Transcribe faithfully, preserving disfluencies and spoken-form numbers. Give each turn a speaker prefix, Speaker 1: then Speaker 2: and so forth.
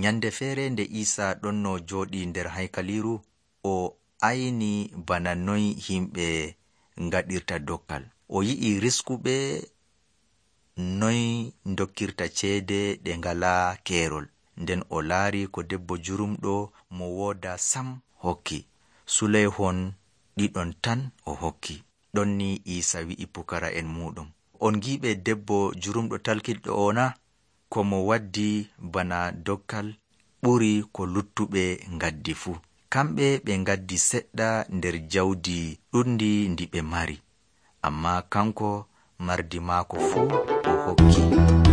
Speaker 1: Nyande feere nde Iisa ɗon no jooɗi nder haykaliiru, o ayni bana noy himɓe ngaɗirta dokkal. O yi'i riskuɓe noy dokkirta ceede ɗe ngalaa keerol. Nden o laari ko debbo jurumɗo mo wooda sam hokki. Suleyhon ɗiɗon tan o hokki. Ɗon ni Iisa wi'i pukara'en muuɗum, on giiɓe debbo jurumɗo talkiɗɗo o na? Ko mo waddi bana dokkal ɓuri ko luttuɓe ngaddi fuu. Kamɓe ɓe ngaddi seɗɗa nder jawdi ɗundi ndi ɓe mari, ammaa kanko mardi maako fuu o hokki.